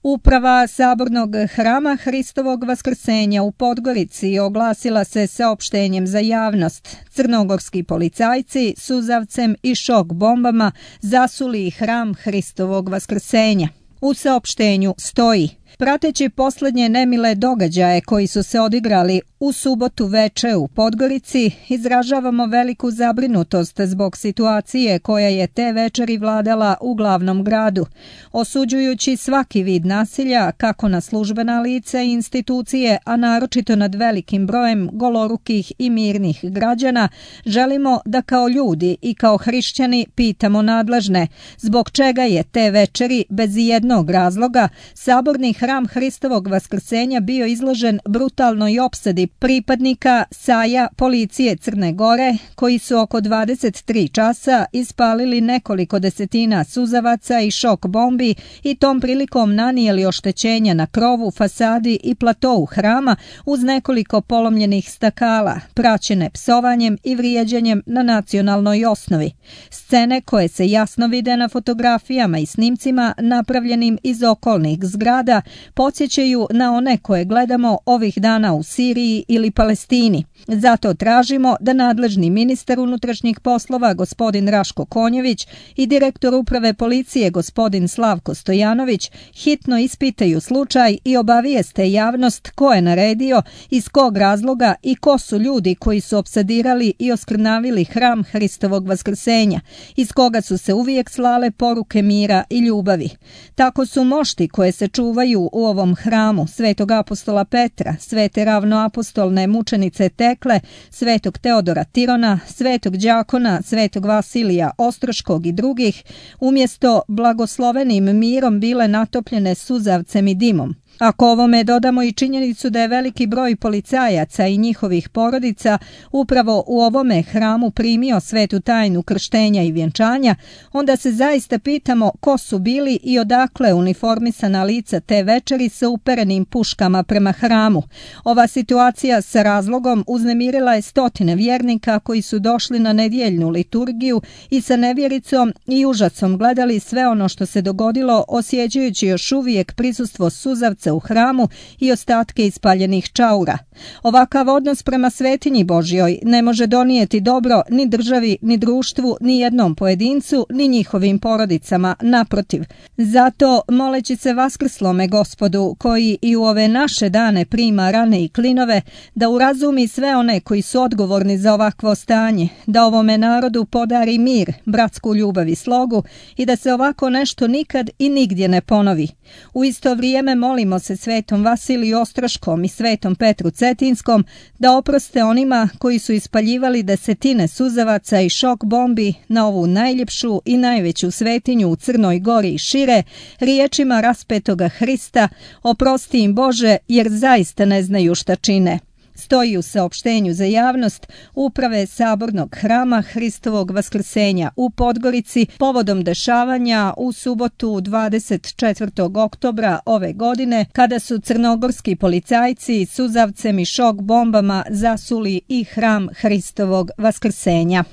Uprava Sabornog hrama Hristovog Vaskrsenja u Podgorici oglasila se saopštenjem za javnost. Crnogorski policajci suzavcem i šok bombama zasuli hram Hristovog Vaskrsenja. U saopštenju stoji: prateći posljednje nemile događaje koji su se odigrali u subotu veče u Podgorici, izražavamo veliku zabrinutost zbog situacije koja je te večeri vladala u glavnom gradu, osuđujući svaki vid nasilja kako na službena lica i institucije, a naročito nad velikim brojem golorukih i mirnih građana. Želimo da kao ljudi i kao hrišćani pitamo nadležne zbog čega je te večeri bez jednog razloga Saborni hram Hristovog Vaskrsenja bio izložen brutalnoj opsadi pripadnika SAJ-a policije Crne Gore, koji su oko 23 časa ispalili nekoliko desetina suzavaca i šok bombi i tom prilikom nanijeli oštećenja na krovu, fasadi i platou hrama uz nekoliko polomljenih stakala, praćene psovanjem i vrijeđanjem na nacionalnoj osnovi. Scene koje se jasno vide na fotografijama i snimcima napravljenim iz okolnih zgrada podsjećaju na one koje gledamo ovih dana u Siriji ili Palestini. Zato tražimo da nadležni ministar unutrašnjih poslova gospodin Raško Konjević i direktor uprave policije gospodin Slavko Stojanović hitno ispitaju slučaj i obavijeste javnost ko je naredio, iz kog razloga i ko su ljudi koji su opsadirali i oskrnavili hram Hristovog Vaskrsenja, iz koga su se uvijek slale poruke mira i ljubavi. Tako su mošti koje se čuvaju u ovom hramu svetog apostola Petra, svete ravnoapostolne mučenice Tekle, svetog Teodora Tirona, svetog đakona, svetog Vasilija Ostroškog i drugih, umjesto blagoslovenim mirom bile natopljene suzavcem i dimom. Ako ovome dodamo i činjenicu da je veliki broj policajaca i njihovih porodica upravo u ovome hramu primio svetu tajnu krštenja i vjenčanja, onda se zaista pitamo ko su bili i odakle uniformisana lica te večeri sa uperenim puškama prema hramu. Ova situacija sa razlogom uznemirila je stotine vjernika koji su došli na nedjeljnu liturgiju i sa nevjericom i užasom gledali sve ono što se dogodilo, osjećajući još uvijek prisustvo suzavca u hramu i ostatke ispaljenih čaura. Ovakav odnos prema svetinji Božjoj ne može donijeti dobro ni državi, ni društvu, ni jednom pojedincu, ni njihovim porodicama, naprotiv. Zato, moleći se vaskrslome Gospodu, koji i u ove naše dane prima rane i klinove, da urazumi sve one koji su odgovorni za ovakvo stanje, da ovome narodu podari mir, bratsku ljubav i slogu i da se ovako nešto nikad i nigdje ne ponovi. U isto vrijeme molimo se svetom Vasiliju Ostroškom i svetom Petru Cetinskom da oproste onima koji su ispaljivali desetine suzavaca i šok bombi na ovu najljepšu i najveću svetinju u Crnoj Gori i šire, riječima raspetoga Hrista: oprosti im Bože, jer zaista ne znaju šta čine. Stoji u saopštenju za javnost uprave Sabornog hrama Hristovog Vaskrsenja u Podgorici povodom dešavanja u subotu 24. oktobra ove godine, kada su crnogorski policajci suzavcem i šok bombama zasuli i hram Hristovog Vaskrsenja.